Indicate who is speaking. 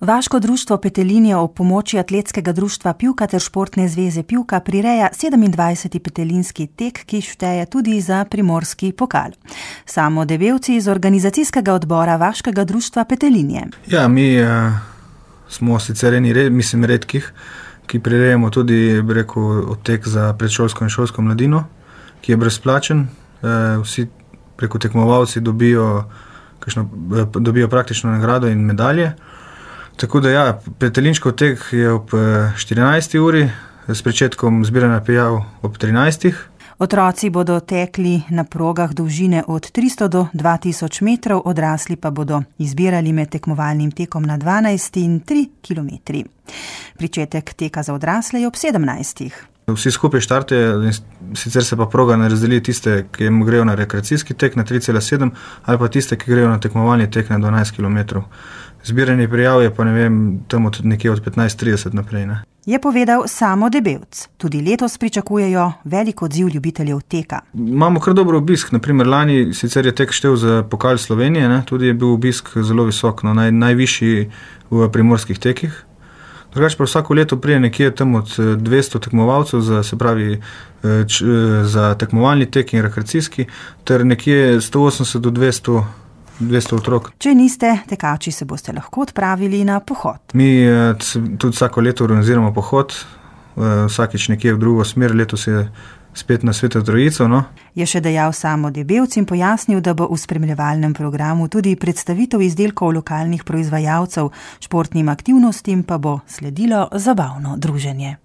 Speaker 1: Vaško društvo Petelinje ob pomoči Atletskega društva Pivka ter Športne zveze Pivka prireja 27. petelinski tek, ki šteje tudi za primorski pokal. Samo Debevci iz organizacijskega odbora Vaškega društva Petelinje.
Speaker 2: Ja, mi smo sicer redkih, ki prirejamo tudi tek za predšolsko in šolsko mladino, ki je brezplačen. Vsi tekmovalci dobijo praktično nagrado in medalje. Tako da ja, petelinškov tek je ob 14. uri, s pričetkom zbiranja prijav ob 13.
Speaker 1: Otroci bodo tekli na progah dolžine od 300 do 2000 metrov, odrasli pa bodo izbirali med tekmovalnim tekom na 12 in 3 kilometri. Pričetek teka za odrasle je ob 17.
Speaker 2: Vsi skupaj štartejo, sicer se pa proga ne razdeli tiste, ki grejo na rekreacijski tek na 3,7 ali pa tiste, ki grejo na tekmovalni tek na 12 km. Zbiranje prijav je pa tam nekje od 15:30 naprej. Ne?
Speaker 1: Je povedal Samo Debevc. Tudi letos pričakujejo velik odziv ljubiteljev teka.
Speaker 2: Imamo kar dober obisk. Naprimer, lani sicer je tek štel za pokal Slovenije, ne? Tudi je bil obisk zelo visok, najvišji v primorskih tekih. Drugače pa vsako leto prije nekje tam od 200 tekmovalcev za tekmovalni tek in rekreacijski, ter nekje 180 do 200 otrok.
Speaker 1: Če niste tekači, se boste lahko odpravili na pohod.
Speaker 2: Mi tudi vsako leto organiziramo pohod, vsakič nekje v drugo smer, letos je spet na Sveto Trojico. No.
Speaker 1: Je še dejal Samo Debevc in pojasnil, da bo v spremljevalnem programu tudi predstavitev izdelkov lokalnih proizvajalcev, športnim aktivnostim pa bo sledilo zabavno druženje.